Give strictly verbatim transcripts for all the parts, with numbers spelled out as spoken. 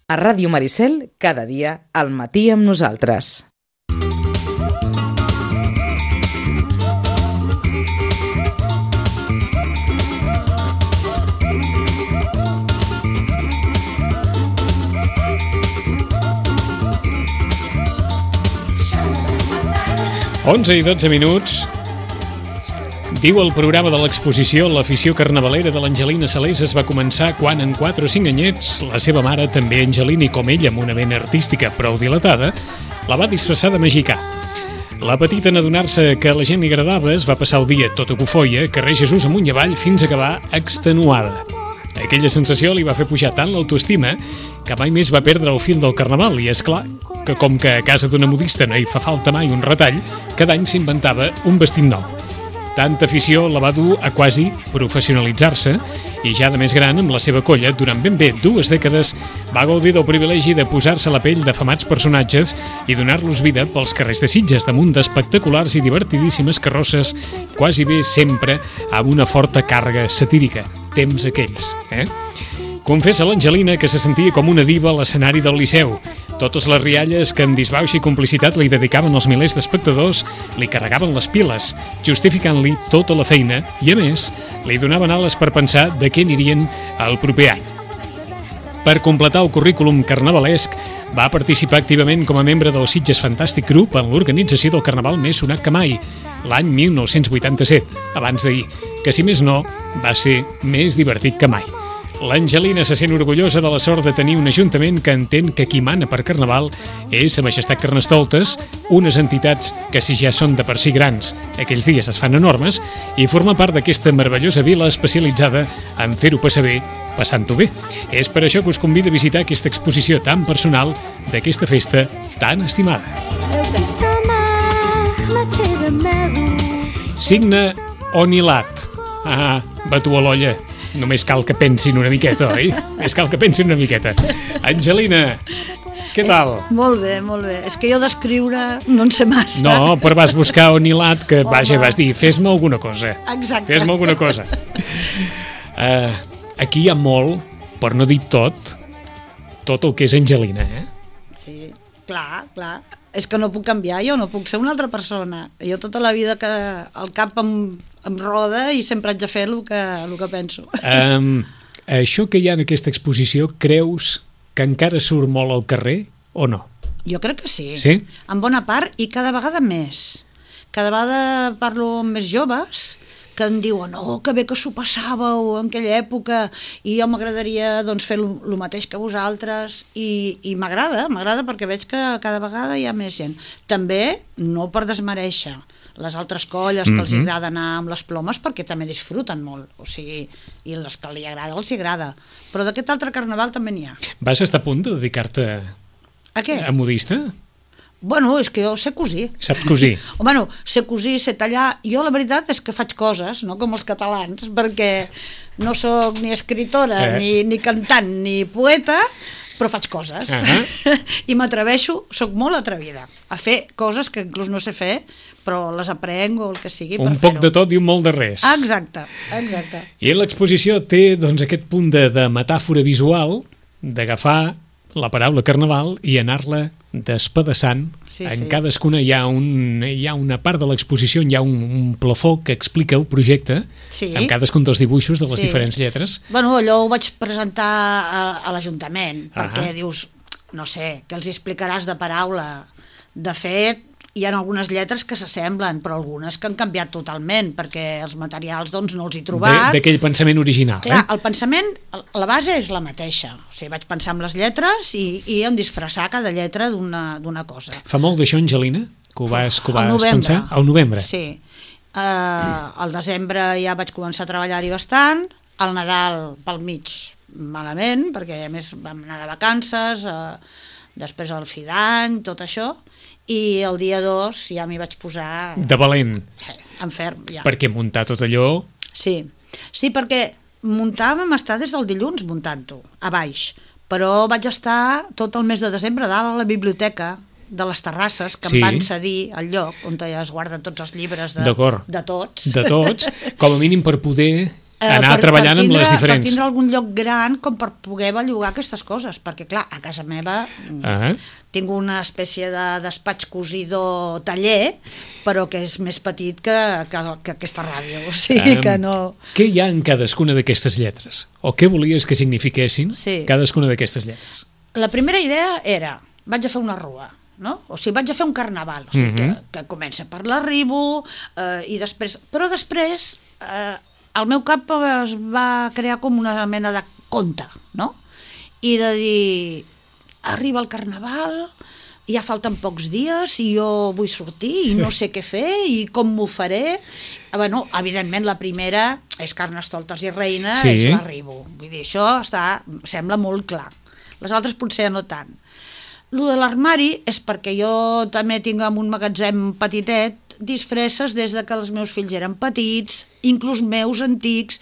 A Ràdio Maricel, cada dia, al matí amb nosaltres. onze i dotze minuts. Diu el programa de l'exposició l'afició carnavalera de l'Angelina Salés es va començar quan, en quatre o cinc anyets, la seva mare, també Angelina i com ella amb una vena artística prou dilatada, la va disfressar de mexicà. La petita, en adonar-se que a la gent li agradava, es va passar el dia tota cofoia, carrer Jesús amunt i avall, fins a acabar extenuada. Aquella sensació li va fer pujar tant l'autoestima que mai més va perdre el fil del carnaval i, és clar, que com que a casa d'una modista no hi fa falta mai un retall, cada any s'inventava un vestit nou. Tanta afició la va dur a quasi professionalitzar-se i ja de més gran, amb la seva colla, durant ben bé dues dècades, va gaudir del privilegi de posar-se a la pell d'afamats personatges i donar-los vida pels carrers de Sitges, damunt d'espectaculars i divertidíssimes carrosses, quasi bé sempre amb una forta càrrega satírica. Temps aquells, eh? Confessa l'Angelina que se sentia com una diva a l'escenari del Liceu. Totes les rialles que amb disbauxa i complicitat li dedicaven els milers d'espectadors li carregaven les piles, justificant-li tota la feina i, a més, li donaven ales per pensar de què anirien el proper any. Per completar el currículum carnavalesc, va participar activament com a membre del Sitges Fantàstic Group en l'organització del carnaval més sonat que mai, l'any mil nou-cents vuitanta-set, abans d'ahir, que si més no, va ser més divertit que mai. L'Angelina se sent orgullosa de la sort de tenir un ajuntament que entén que qui mana per Carnaval és Sa Majestat Carnestoltes, unes entitats que, si ja són de per si grans, aquells dies es fan enormes, i forma part d'aquesta meravellosa vila especialitzada en fer-ho passar bé, passant-ho bé. És per això que us convido a visitar aquesta exposició tan personal d'aquesta festa tan estimada. Signe Onilat. Ah, batu a l'olla. Només cal que pensin una miqueta, oi? Només cal que pensin una miqueta. Angelina, què tal? Eh, molt bé, molt bé. És que jo d'escriure no en sé massa. No, però vas buscar Onilat, que vaja, vas dir, fes-me alguna cosa. Exacte. Fes-me alguna cosa. Uh, aquí hi ha molt, per no dir tot, tot el que és Angelina, eh? Sí, clar, clar. És que no puc canviar, jo no puc ser una altra persona. Jo tota la vida que el cap em, em roda i sempre haig de fer el que, el que penso. Um, això que hi ha en aquesta exposició, creus que encara surt molt al carrer o no? Jo crec que sí. Sí? En bona part i cada vegada més. Cada vegada parlo amb més joves que em diuen, oh, que bé que s'ho passàveu en aquella època i jo m'agradaria doncs, fer el mateix que vosaltres i, i m'agrada, m'agrada perquè veig que cada vegada hi ha més gent. També, no per desmereixer les altres colles que mm-hmm. els agrada anar amb les plomes perquè també disfruten molt, o sigui, i les que li agrada els agrada, però d'aquest altre carnaval també n'hi ha. Vas estar a punt de dedicar-te a què? A modista? Bueno, és que jo sé cosir. Saps cosir? Bueno, sé cosir, sé tallar. Jo la veritat és que faig coses, no com els catalans, perquè no sóc ni escritora, eh. ni, ni cantant, ni poeta, però faig coses. Uh-huh. I m'atreveixo, sóc molt atrevida, a fer coses que inclús no sé fer, però les aprenc o el que sigui per fer-ho. Un poc de tot i un molt de res. Exacte, exacte. I l'exposició té doncs, aquest punt de, de metàfora visual, d'agafar la paraula carnaval i anar-la despedaçant. Sí, en sí. Cadascuna hi ha, un, hi ha una part de l'exposició, hi ha un, un plafó que explica el projecte, sí. amb cadascun dels dibuixos de les sí. diferents lletres. Bueno, allò ho vaig presentar a, a l'Ajuntament, perquè uh-huh. dius, no sé, que els explicaràs de paraula. De fet, hi ha algunes lletres que s'assemblen, però algunes que han canviat totalment, perquè els materials doncs, no els he trobat. D'aquell pensament original. Clar, eh? el pensament, la base és la mateixa. O sigui, vaig pensar en les lletres i, i em disfressar cada lletra d'una d'una cosa. Fa molt d'això, Angelina, que ho vas, que ho vas novembre. pensar? Al novembre. Sí. Uh, al desembre ja vaig començar a treballar-hi bastant, al Nadal pel mig malament, perquè a més vam anar de vacances, uh, després el fi d'any, tot això, i el dia dos ja m'hi vaig posar... De valent. En ferm, ja. Perquè muntar tot allò... Sí, sí, perquè muntar vam estar des del dilluns muntant-ho, a baix, però vaig estar tot el mes de desembre dalt a la biblioteca de les Terrasses, que sí. em van cedir el lloc on es guarden tots els llibres de, de tots. De tots, com a mínim per poder anar per, treballant per tindre, amb les diferents. Per tindre algun lloc gran com per poder bellugar aquestes coses, perquè clar, a casa meva uh-huh. tinc una espècie de despatx cosidor taller, però que és més petit que, que, que aquesta ràdio, o sigui um, que no... Què hi ha en cadascuna d'aquestes lletres? O què volies que signifiquessin sí. cadascuna d'aquestes lletres? La primera idea era, vaig a fer una rua, no? O sigui, vaig a fer un carnaval, o sigui, uh-huh. que, que comença per l'arribo, eh, i després... Però després... Eh, el meu cap es va crear com una mena de conte, no? I de dir, arriba el carnaval, ja falten pocs dies i jo vull sortir i no sé què fer i com m'ho faré. Bueno, evidentment la primera és Carnestoltes i Reina, sí. és l'arribo. Vull dir, això està, sembla molt clar. Les altres potser no tant. Lo de l'armari és perquè jo també tinc un magatzem petitet, disfresses des de que els meus fills eren petits, inclús meus antics,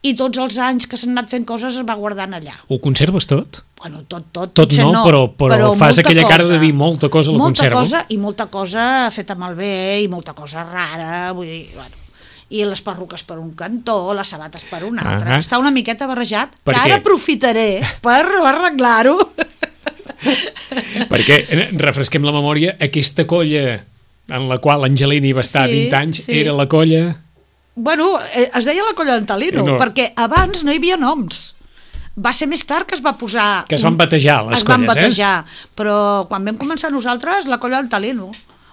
i tots els anys que s'han anat fent coses es va guardant allà. Ho conserves tot? Bueno, tot, tot. Tot no, no, però, però, però fas aquella cosa, cara de dir molta cosa la molta conservo. Cosa, i molta cosa feta malbé, i molta cosa rara, vull dir, bueno, i les perruques per un cantó, les sabates per un altre. Uh-huh. Està una miqueta barrejat, per que què? Ara aprofitaré per arreglar-ho. Perquè, refresquem la memòria, aquesta colla en la qual Angelini va estar sí, vint anys, sí. era la colla... Bueno, es deia la colla d'Antalino, no. perquè abans no hi havia noms. Va ser més tard que es va posar... Que es van batejar, les es colles, van batejar, eh? Però quan vam començar nosaltres, la colla d'Antalino.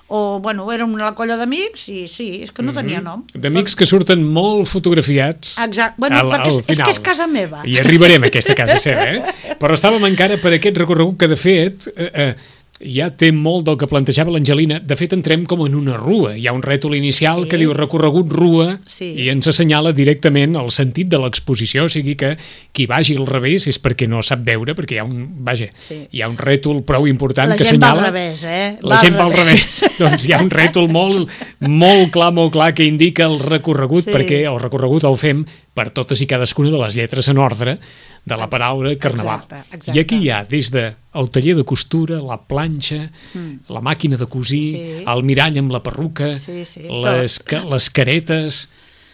O, bueno, era una colla d'amics i sí, és que no tenia nom. D'amics que surten molt fotografiats. Exacte, bueno, al, perquè al és, és que és casa meva. I arribarem a aquesta casa seva, eh? Però estàvem encara per aquest recorregut que, de fet... Eh, eh, ja té molt del que plantejava l'Angelina. De fet, entrem com en una rua. Hi ha un rètol inicial sí. que diu recorregut rua sí. i ens assenyala directament el sentit de l'exposició, o sigui que qui vagi al revés és perquè no sap veure, perquè hi ha un, vaja, sí. hi ha un rètol prou important la que La gent assenyala... va al revés, eh? La va gent va al revés. Doncs hi ha un rètol molt, molt clar, molt clar, que indica el recorregut, sí. perquè el recorregut el fem per totes i cadascuna de les lletres en ordre de la paraula carnaval. Exacte, exacte. I aquí hi ha des de el taller de costura, la planxa, mm. la màquina de cosir, sí. el mirall amb la perruca, sí, sí, les, ca, les caretes,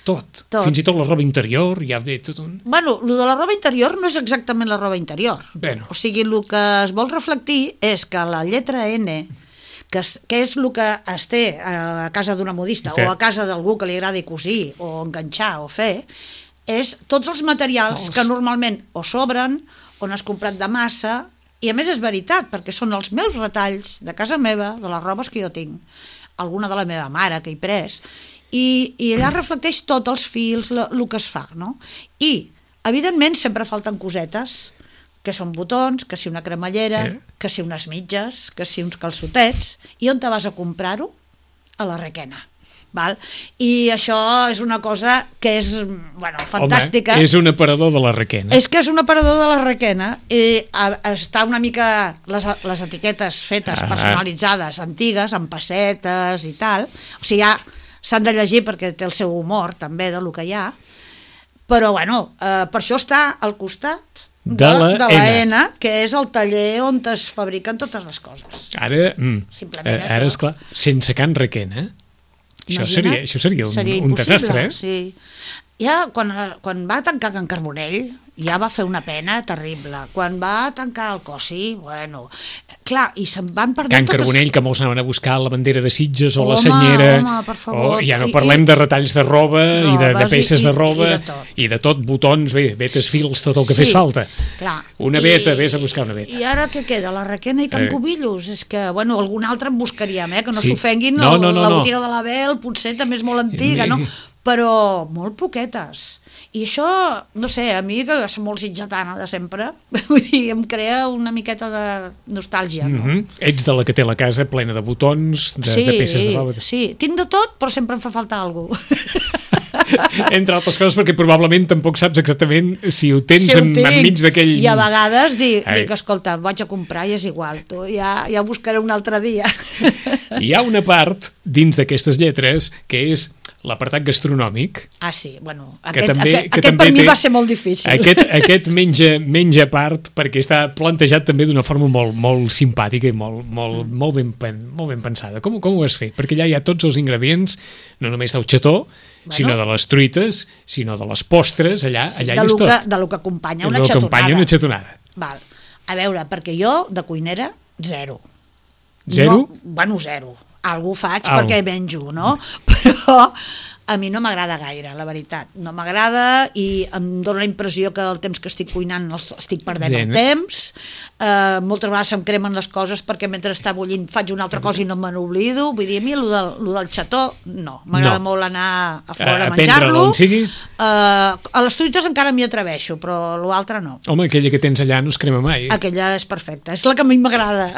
tot. tot. Fins i tot la roba interior, hi ha de tot un... Bueno, el de la roba interior no és exactament la roba interior. Bueno. O sigui, el que es vol reflectir és que la lletra N, que és, que és el que es té a casa d'una modista sí. o a casa d'algú que li agradi cosir o enganxar o fer, és tots els materials els... que normalment o sobren o n'has comprat de massa, i a més és veritat, perquè són els meus retalls de casa meva, de les robes que jo tinc, alguna de la meva mare que he pres, i, i allà reflecteix tots els fils, el que es fa, no? I, evidentment, sempre falten cosetes, que són botons, que si una cremallera, eh? que si unes mitges, que si uns calçotets, i on te vas a comprar-ho? A la Requena. Val? I això és una cosa que és, bueno, fantàstica. Home, és un aparador de la Requena. És que és un aparador de la Requena i a, està una mica les, les etiquetes fetes, ah. personalitzades, antigues, amb pessetes i tal. O sigui, ja s'han de llegir perquè té el seu humor també de lo que hi ha. Però, bueno, eh, per això està al costat de, de, la, de la N. N, que és el taller on es fabriquen totes les coses. Ara, mm, ara és clar, sense Can Requena, Això seria, això seria un, seria un desastre, eh? Sí. Ja, quan, quan va tancar Can Carbonell, ja va fer una pena terrible. Quan va tancar el Cossi, bueno... Clar, i se'n van perdent Can totes... Carbonell, que molts anaven a buscar la bandera de Sitges o home, la senyera... Home, per favor. O, ja no parlem I, de retalls de roba i de, de peces i, de roba i de tot. I de tot, botons, bé, vetes, fils, tot el que sí, fes falta. Clar. Una veta, I, vés a buscar una veta. I ara què queda? La Requena i Can eh. Cubillos? És que, bueno, algun altre en buscaríem, eh? Que no sí. s'ofenguin, no, no, no, la no. botiga de l'Abel potser també és molt antiga, no? Però molt poquetes. I això, no sé, a mi, que és molt sitgetana de sempre, vull dir, em crea una miqueta de nostàlgia, no? Mm-hmm. Ets de la que té la casa plena de botons, de, sí, de peces de roba. Sí, tinc de tot, però sempre em fa falta alguna cosa. Entre altres coses, perquè probablement tampoc saps exactament si ho tens si ho en, enmig d'aquell... I a vegades dic, dic, escolta, vaig a comprar i és igual, tu, ja, ja ho buscaré un altre dia. Hi ha una part dins d'aquestes lletres que és l'apartat gastronòmic. Ah, sí, bueno, que aquest, també, aquest, que aquest també per mi té, va ser molt difícil. Aquest, aquest menja, menja part perquè està plantejat també d'una forma molt, molt simpàtica i molt, molt, mm. molt, ben, molt ben pensada. Com, com ho vas fer? Perquè allà hi ha tots els ingredients, no només del xató, bueno, sinó de les truites, sinó de les postres, allà, sí, allà hi és tot. Que, de lo que acompanya una xatonada. xatonada. Acompanya una xatonada. Val. A veure, perquè jo, de cuinera, zero. Zero? No, bueno, zero. Algú faig Algo. perquè menjo, no? Però a mi no m'agrada gaire, la veritat. No m'agrada i em dóna la impressió que el temps que estic cuinant estic perdent Bien. el temps. Uh, moltes vegades se'm cremen les coses perquè mentre està bullint faig una altra cosa i no me n'oblido. Vull dir, a mi el del, lo del xató, no. M'agrada no. molt anar a fora a, a menjar-lo. Uh, a les truites encara m'hi atreveixo, però l'altre no. Home, aquella que tens allà no es crema mai. Aquella és perfecta, és la que a mi m'agrada.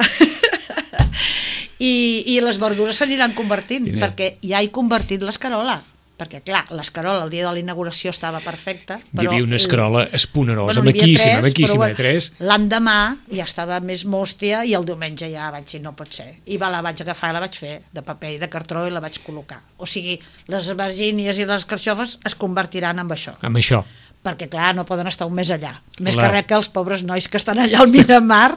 I, i les verdures s'aniran convertint, Quina? perquè ja he convertit l'escarola, perquè clar, l'escarola el dia de la inauguració estava perfecta, però... Hi havia una escarola esponerosa, bueno, maquíssima, tres, maquíssima, però, tres. L'endemà ja estava més mòstia i el diumenge ja vaig dir, no pot ser. I va, la vaig agafar i la vaig fer de paper i de cartró i la vaig col·locar. O sigui, les albergínies i les carxofes es convertiran en això. Amb això. Perquè clar, no poden estar un mes allà. Més la... que res que els pobres nois que estan allà al Miramar.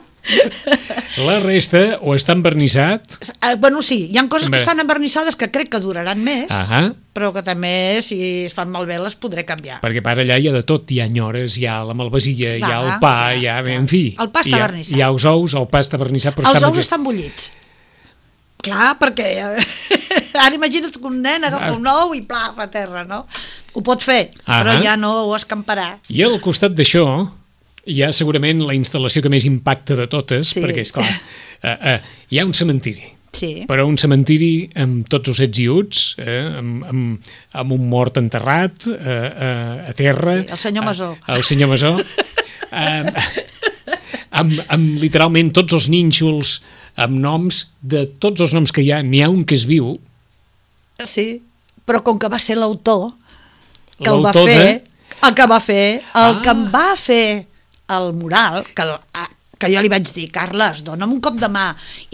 La resta o està envernissat... Uh, bueno, sí, hi ha coses Bé. que estan envernissades que crec que duraran més, uh-huh. però que també, si es fan malbé, les podré canviar. Perquè per allà hi ha de tot, hi ha nyores, hi ha la malvasia, hi ha el pa, clar, hi ha... En fi, el pa està hi ha, vernissat. Hi ha els ous, el pa està vernissat, però els està... Els ous estan bullits. Clar, perquè ara imagina't que un nen agafa un ou i plaf a terra, no? Ho pot fer, uh-huh. però ja no ho escamparà. I al costat d'això hi ha segurament la instal·lació que més impacta de totes, sí. perquè, esclar, uh, uh, hi ha un cementiri. Sí. Però un cementiri amb tots els ets i uts, eh, amb, amb, amb un mort enterrat eh, eh, a terra. Sí, el senyor Masó. Eh, el senyor Masó. eh, amb, amb literalment tots els nínxols, amb noms, de tots els noms que hi ha, n'hi ha un que és viu. Sí, però com que va ser l'autor que el va fer, de... el que va fer, el ah. que em va fer el mural, que, que jo li vaig dir, Carles, dona'm un cop de mà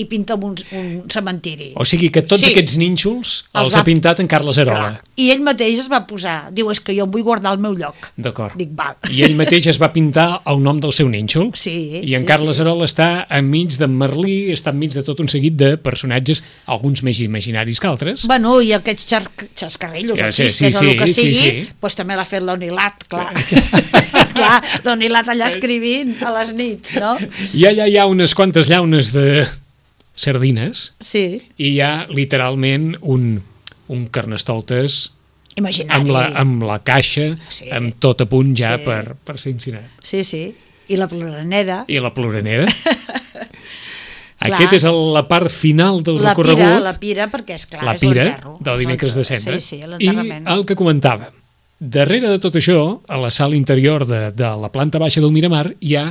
i pinta'm un, un cementiri. O sigui que tots sí. aquests nínxols els, els ha pintat en Carles Arola. Clar. I ell mateix es va posar, diu, és que jo em vull guardar el meu lloc. D'acord. Dic, val. I ell mateix es va pintar el nom del seu nínxol. Sí. I en sí, Carles sí. Arola està enmig d'en Merlí, està enmig de tot un seguit de personatges, alguns més imaginaris que altres. Bueno, i aquests xar xascarrillos, ja, sí, sí, sí, o el que sigui, sí, sí. Pues també l'ha fet l'Onilat, clar. Clar, l'Onilat allà escrivint a les nits, no? I allà hi ha unes quantes llaunes de sardines. Sí. I hi ha literalment un, un carnestoltes imaginari. Amb la, amb la caixa, sí. amb tot a punt ja sí. per, per ser incinerat. Sí, sí. I la ploranera. I la ploranera. Aquesta és el, la part final del la recorregut. Pira, la pira, perquè és clar, la és pira l'enterro. del dimecres de Cendra. Sí, sí, I el que comentava, darrere de tot això, a la sala interior de, de la planta baixa del Miramar, hi ha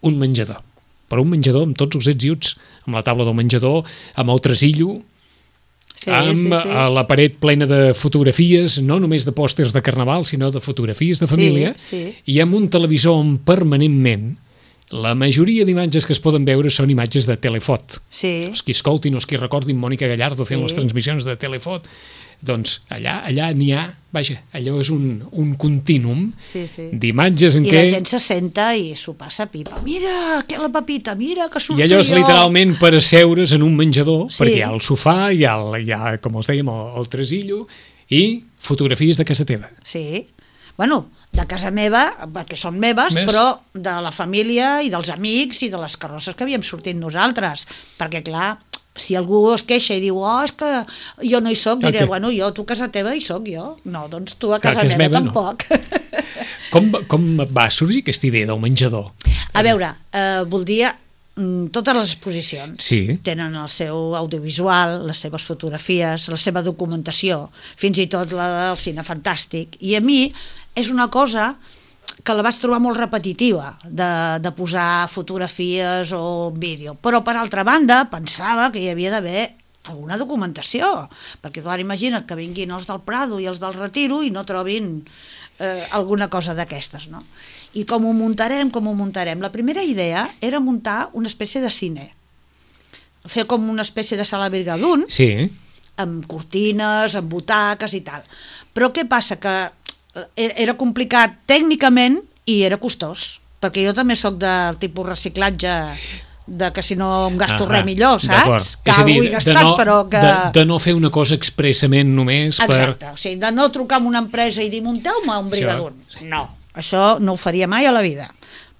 un menjador. Però un menjador amb tots els ets i uts, amb la taula del menjador, amb el tresillo, sí, amb sí, sí. la paret plena de fotografies, no només de pòsters de carnaval, sinó de fotografies de família, sí, sí. i amb un televisor on permanentment la majoria d'imatges que es poden veure són imatges de Telefot. Sí. Els qui escoltin, els qui recordin Mònica Gallardo fent sí. les transmissions de Telefot, doncs allà allà n'hi ha, vaja, allò és un, un contínum sí, sí. d'imatges en I què... I la gent se senta i s'ho passa pipa. Mira, que la papita, mira, que surto jo. I allò és jo. literalment per asseure's en un menjador, sí. perquè hi ha el sofà, hi ha, el, hi ha com els dèiem, el, el tresillo, i fotografies de casa teva. Sí. Bueno, de casa meva, perquè són meves, Més? però de la família i dels amics i de les carrosses que havíem sortit nosaltres. Perquè, clar, si algú es queixa i diu, oh, és que jo no hi soc, diré, okay. bueno, jo, tu a casa teva hi soc jo. No, doncs tu a casa clar, meva, meva tampoc. No. Com, com va sorgir aquesta idea del menjador? A veure, eh, voldria... Totes les exposicions sí. tenen el seu audiovisual, les seves fotografies, la seva documentació, fins i tot la del cine fantàstic. I a mi és una cosa que la vaig trobar molt repetitiva, de, de posar fotografies o vídeo. Però, per altra banda, pensava que hi havia d'haver alguna documentació, perquè clar, imagina't que vinguin els del Prado i els del Retiro i no trobin eh, alguna cosa d'aquestes, no? I com ho muntarem, com ho muntarem? La primera idea era muntar una espècie de cine, fer com una espècie de sala Brigadoon, sí. amb cortines, amb butaques i tal. Però què passa? Que era complicat tècnicament i era costós, perquè jo també sóc del tipus reciclatge de que si no em gasto ah, res millor, saps? Que és a dir, ho he gastat, de no, però que... De, de no fer una cosa expressament només per... Exacte, o sigui, de no trucar a una empresa i dir munteu-me un brigadunt. No, això no ho faria mai a la vida.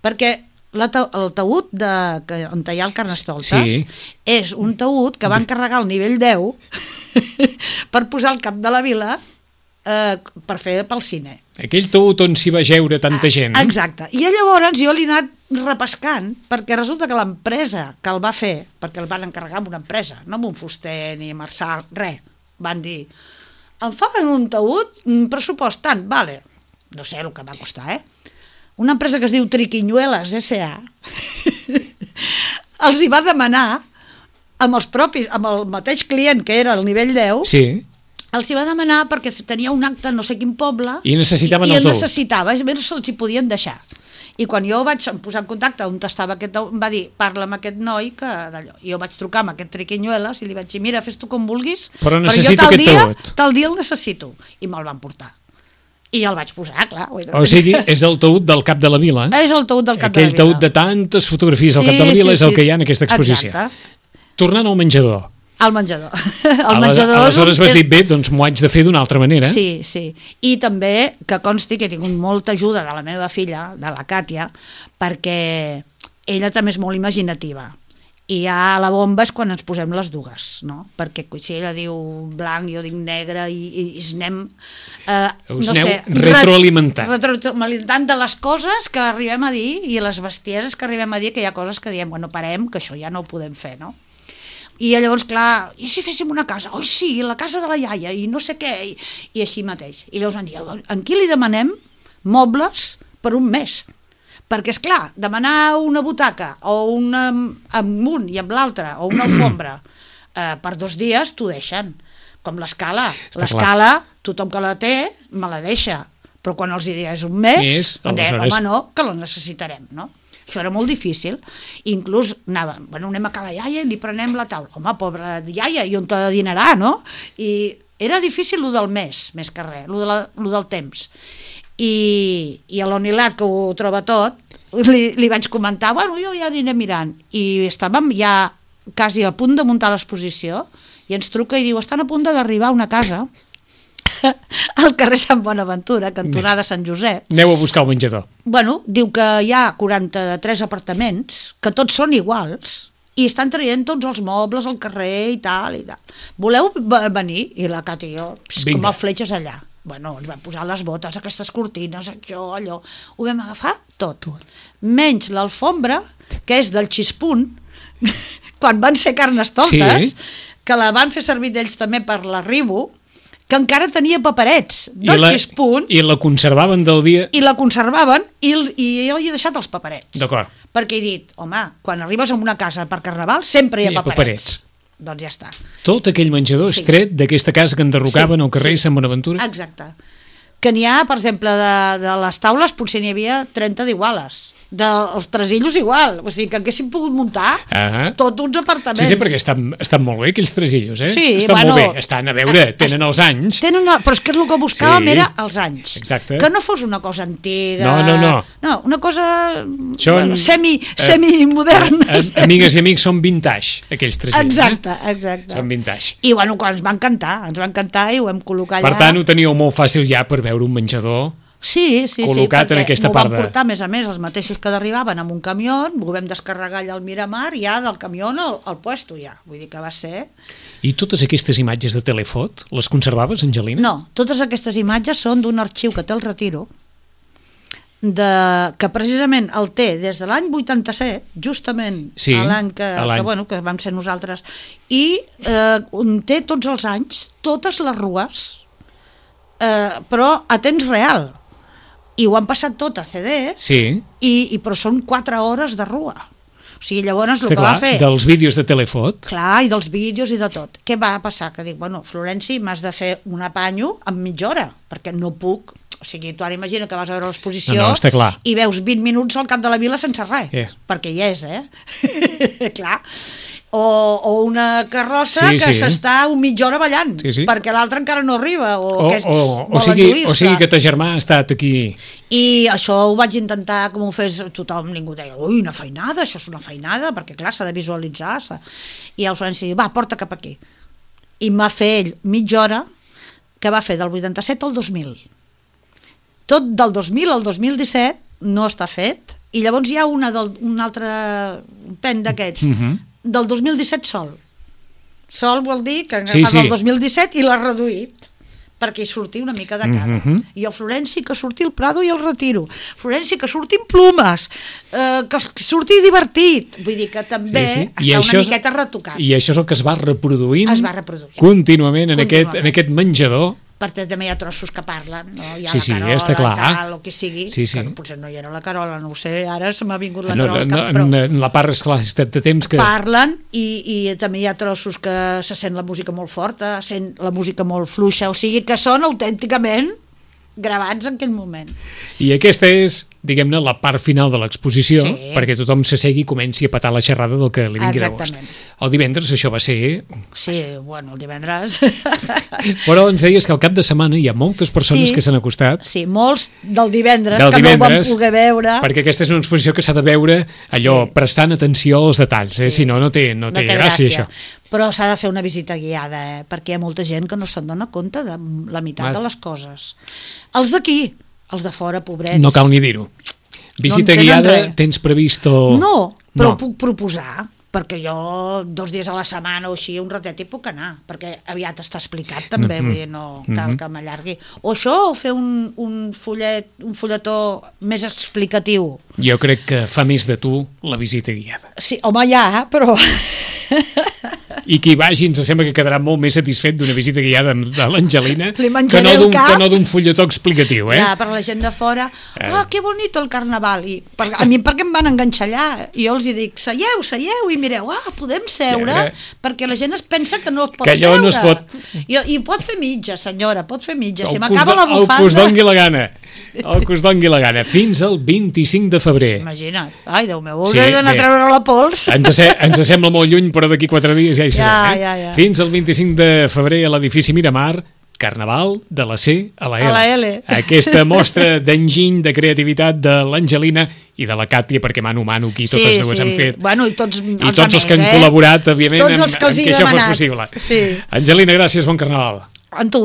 Perquè la ta el taüt de, que, on hi ha el Carnestoltes sí. és un taüt que van carregar al nivell deu per posar al cap de la vila eh, per fer pel cine. Aquell taüt on s'hi va jeure tanta gent. Exacte. I llavors jo l'he anat repescant, perquè resulta que l'empresa que el va fer, perquè el van encarregar amb una empresa, no amb un fuster ni Marçal, res, van dir, em fan un taüt, un pressupost tant, vale, no sé el que va costar, eh? Una empresa que es diu Triquinyuelas S A els hi va demanar amb els propis, amb el mateix client que era el nivell deu, sí. els hi va demanar perquè tenia un acte no sé quin poble i necessitaven i, i el el taüt. necessitava, és més, se'ls hi podien deixar. I quan jo vaig posar en contacte on estava aquest, em va dir, parla amb aquest noi que d'allò. I jo vaig trucar amb aquest Triquinyuelas i li vaig dir, mira, fes tu com vulguis, però jo necessito tal aquest dia, taüt. tal dia el necessito. I me'l van portar. I el vaig posar, clar. O sigui, és el taüt del cap de la vila. És el taüt del cap Aquell de la vila. taüt de tantes fotografies al sí, cap de la vila sí, és el sí. que hi ha en aquesta exposició. Exacte. Tornant al menjador. Al menjador. El menjador Aleshores vas és... dir, bé, doncs m'ho haig de fer d'una altra manera. Sí, sí. I també que consti que he tingut molta ajuda de la meva filla, de la Càtia, perquè ella també és molt imaginativa. I ja la bomba és quan ens posem les dues, no? Perquè si ella diu blanc, jo dic negre i, i, i es anem... Eh, Us no aneu sé, retroalimentant. Retroalimentant de les coses que arribem a dir i les bestieses que arribem a dir, que hi ha coses que diem, bueno, parem, que això ja no ho podem fer, no? I llavors, clar, i si féssim una casa? Oi, sí, la casa de la iaia, i no sé què, i, i així mateix. I llavors em diu, en qui li demanem mobles per un mes? Perquè, és clar, demanar una butaca o una amb un i amb l'altre, o una alfombra, eh, per dos dies t'ho deixen. Com l'escala. L'escala, tothom que la té, me la deixa. Però quan els dies un mes, Més, em deia, aleshores... home, no, que la necessitarem, no? Això era molt difícil. Inclús anava, bueno, anem a ca la iaia i li prenem la taula. Home, pobra iaia, i on te dinarà, no? I era difícil lo del mes, més que res, lo, de la, lo del temps. I, i a l'Onilat, que ho troba tot, li, li vaig comentar, bueno, jo ja aniré mirant. I estàvem ja quasi a punt de muntar l'exposició i ens truca i diu, estan a punt d'arribar a una casa al carrer Sant Bonaventura, cantonada Sant Josep. Aneu a buscar el menjador. Bueno, diu que hi ha quaranta-tres apartaments, que tots són iguals, i estan traient tots els mobles al carrer i tal, i tal. Voleu venir? I la Cati i jo, pss, com a fletxes allà. Bueno, ens vam posar les botes, aquestes cortines, això, allò. Ho vam agafar tot. Menys l'alfombra, que és del Xispunt, quan van ser Carnestoltes, sí. que la van fer servir d'ells també per l'arribo, que encara tenia paperets del I la, Xispunt. I la conservaven del dia... I la conservaven, i, i jo hi he deixat els paperets. D'acord. Perquè he dit, home, quan arribes a una casa per Carnaval sempre hi ha, hi ha paperets. paperets. Doncs ja està. Tot aquell menjador Sí. és tret d'aquesta casa que enderrocaven Sí, al carrer sí. Sant Bonaventura? Exacte. Que n'hi ha, per exemple, de, de les taules potser n'hi havia trenta d'iguales. Dels tresillos igual, o sigui que haguéssim pogut muntar ah. tots uns apartaments. Sí, sí, perquè estan, estan molt bé aquells tresillos, eh? Sí, estan bueno, molt bé, estan, a veure, tenen els anys. Tenen, però és que el que buscàvem Sí. era els anys. Exacte. Que no fos una cosa antiga. No, no, no. No, una cosa Són, bueno, semi, eh, semi-moderna. A, a, amigues i amics, són vintage, aquells tresillos. Exacte, eh? exacte. Són vintage. I bueno, quan ens van cantar, ens van cantar i ho vam col·locar allà. Per tant, ho teníeu molt fàcil ja per veure un menjador. Sí, sí, col·locat sí, en aquesta m'ho part van de- portar, a més a més, els mateixos que arribaven amb un camió, ho vam descarregar allà al Miramar, ja del camió al, al puesto, ja. Vull dir que va ser... I totes aquestes imatges de telefot, les conservaves, Angelina? No, totes aquestes imatges són d'un arxiu que té el Retiro, de, que precisament el té des de l'any vuitanta-set, justament Sí, a l'any que, a l'any. que, bueno, que vam ser nosaltres, i eh, on té tots els anys, totes les rues, eh, però a temps real. I ho han passat tot a C Ds, Sí. i, i però són quatre hores de rua. O sigui, llavors el Està que clar, va fer... dels vídeos de telefot. Clar, i dels vídeos i de tot. Què va passar? Que dic, bueno, Florenci, m'has de fer un apanyo en mitja hora, perquè no puc... O sigui, tu ara imagina que vas a veure l'exposició No, no, està clar. i veus vint minuts al cap de la vila sense res, Eh. perquè hi és, eh? Clar. o, o una carrossa sí, que sí. s'està un mitja hora ballant, sí, sí. perquè l'altre encara no arriba, o, O, que o, o, vol sigui, enduir-se. o sigui que ta germà ha estat aquí... I això ho vaig intentar com ho fes tothom, ningú deia, ui, una feinada, això és una feinada, perquè clar, s'ha de visualitzar. S'ha... I el Florenci diu, va, porta cap aquí. I m'ha fet ell mitja hora, que va fer del vuitanta-set al dos mil. Tot del dos mil al dos mil disset no està fet, i llavors hi ha una del, un altre pen d'aquests, Uh-huh. del dos mil disset sol. Sol vol dir que Sí, fa sí. del dos mil disset i l'ha reduït perquè hi surti una mica de cada. Uh-huh. I el Florenci que surti el Prado i el Retiro. Florenci que surti amb plumes, eh, que surti divertit. Vull dir que també Sí, sí. I està això una és- miqueta retocat. I això és el que es va reproduint, Es va reproduint. contínuament en, Contínuament. Aquest, en aquest menjador. Perquè també hi ha trossos que parlen, no? Hi ha Sí, la sí, Carola, està clar. tal, o qui sigui, Sí, sí. que potser no hi era la Carola, no ho sé, ara se m'ha vingut la No, Carola al no, cap, però no, en la part, esclar, ha estat de temps que... parlen i, i també hi ha trossos que se sent la música molt forta, sent la música molt fluixa, o sigui que són autènticament gravats en aquell moment. I aquesta és, diguem-ne, la part final de l'exposició, Sí. perquè tothom s'assegui i comenci a petar la xerrada del que li vingui de gust. Exactament. El divendres això va ser... Sí, bueno, el divendres... Però ens deies que al cap de setmana hi ha moltes persones Sí. que s'han acostat. Sí, molts del divendres, Del que no ho vam divendres, poder veure. perquè aquesta és una exposició que s'ha de veure allò, Sí. prestant atenció als detalls, eh? Sí. Si no, no té, no té, gràcia, això. Però s'ha de fer una visita guiada, eh? Perquè hi ha molta gent que no se'n dona compte de la meitat Va. de les coses. Els d'aquí, els de fora, pobrets. No cal ni dir-ho. Visita No entenen guiada, res. tens previst o... No, però No. puc proposar, perquè jo dos dies a la setmana o així, un ratet hi puc anar, perquè aviat està explicat també, Mhm. vull dir, no cal que m'allargui. O això, o fer un, un, fullet, un fulletó més explicatiu. Jo crec que fa més de tu la visita guiada. Sí, home, ja, però... I qui vagi ens sembla que quedarà molt més satisfet d'una visita guiada de l'Angelina Li que menjaré no el d'un cap. que no d'un fulletó explicatiu, eh? Ja, per la gent de fora, ah, que bonito el carnaval. I per, a mi perquè em van enganxar allà. I jo els hi dic, seieu, seieu, i mireu, ah, podem seure, Ja, ja. perquè la gent es pensa que no es pot Que allò seure. no es pot. I, I pot fer mitja, senyora, pot fer mitja. Si El m'acaba que us la do- El que us bufanda... dongui la gana. El que us dongui la gana. Fins al vint-i-cinc de febrer. Imagina't. Ai, Déu meu, Sí, hauré d'anar bé. a treure la pols. Ens, se, ens sembla molt lluny, però d'aquí quatre dies ja hi serem. Ja, eh? ja, ja. Fins al vint-i-cinc de febrer a l'edifici Miramar, Carnaval de la C a la L. A la L. Aquesta mostra d'enginy, de creativitat de l'Angelina i de la Càtia, perquè mano mano aquí totes dues han fet. Bueno, i tots, I tots els que han eh? col·laborat, òbviament, Tots en, els que els en he que això fos demanat. possible. Sí. Angelina, gràcies, bon Carnaval. En tu.